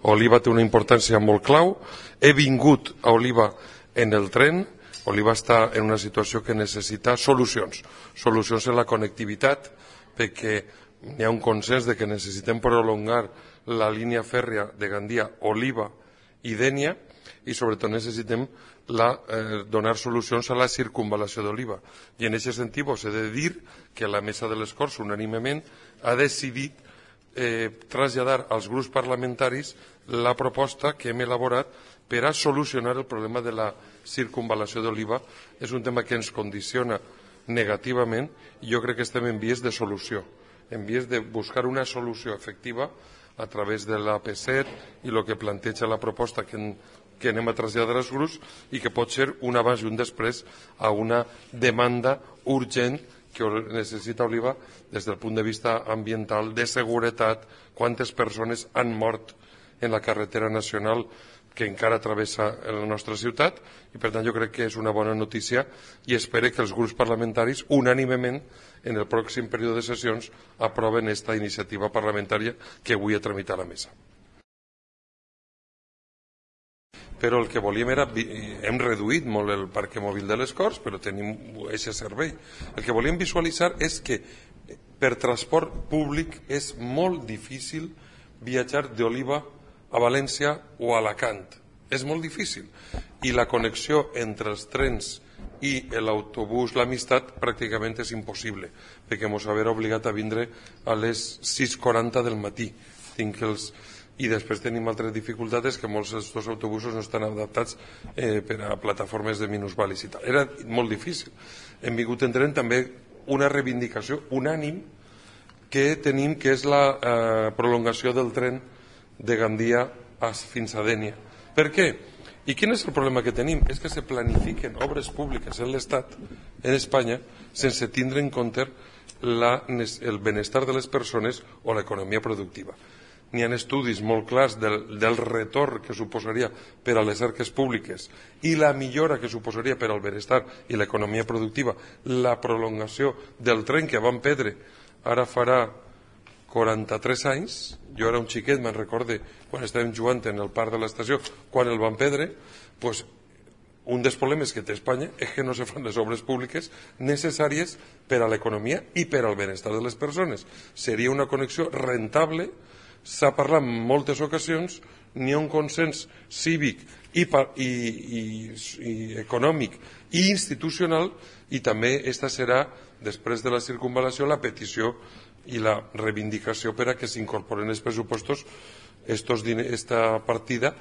Oliva té una importància molt clau. He vingut a Oliva en el tren. Oliva està en una situació que necessita solucions en la connectivitat, perquè hi ha un consens de que necessitem prolongar la línia fèrria de Gandia, Oliva i Dénia, i sobretot necessitem donar solucions a la circunvalació d'Oliva. I en aquest sentit us he de dir que la Mesa de les Corts unànimement ha decidit traslladar als grups parlamentaris la proposta que hem elaborat per a solucionar el problema de la circunvalació d'Oliva. És un tema que ens condiciona negativament i jo crec que estem en vies de solució, en vies de buscar una solució efectiva a través de l'AP7 i el que planteja la proposta que anem a traslladar als grups i que pot ser un abans i un després a una demanda urgent que necessita Oliva des del punt de vista ambiental, de seguretat, quantes persones han mort en la carretera nacional que encara travessa la nostra ciutat, i per tant jo crec que és una bona notícia i espero que els grups parlamentaris unànimement en el pròxim període de sessions aproven aquesta iniciativa parlamentària que avui ha tramitat a la mesa. Però el que volíem era, hem reduït molt el parc mòbil de les Corts, però tenim aquest servei. El que volíem visualitzar és que per transport públic és molt difícil viatjar d'Oliva a València o a Alacant. És molt difícil. I la connexió entre els trens i l'autobús l'Amistat pràcticament és impossible, perquè ens haurà obligat a vindre a les 6:40 del matí. I després tenim altres dificultats, que molts dels autobusos no estan adaptats per a plataformes de minusvàlids i tal. Era molt difícil. Hem vingut entenent també una reivindicació unànim que tenim, que és la prolongació del tren de Gandia fins a Dénia. Per què? I quin és el problema que tenim? És que se planifiquen obres públiques en l'Estat, en Espanya, sense tindre en compte el benestar de les persones o l'economia productiva. N'hi ha estudis molt clars del retorn que suposaria per a les arques públiques i la millora que suposaria per al benestar i l'economia productiva la prolongació del tren que van perdre ara farà 43 anys. Jo era un xiquet, me'n recorde quan estàvem jugant en el parc de l'estació, quan el van perdre. Doncs un dels problemes que té Espanya és que no se fan les obres públiques necessàries per a l'economia i per al benestar de les persones. Seria una connexió rentable. S'ha parlat en moltes ocasions, n'hi ha un consens cívic i econòmic i institucional, i també aquesta serà, després de la circunvalació, la petició i la reivindicació per a que s'incorporen els pressupostos esta partida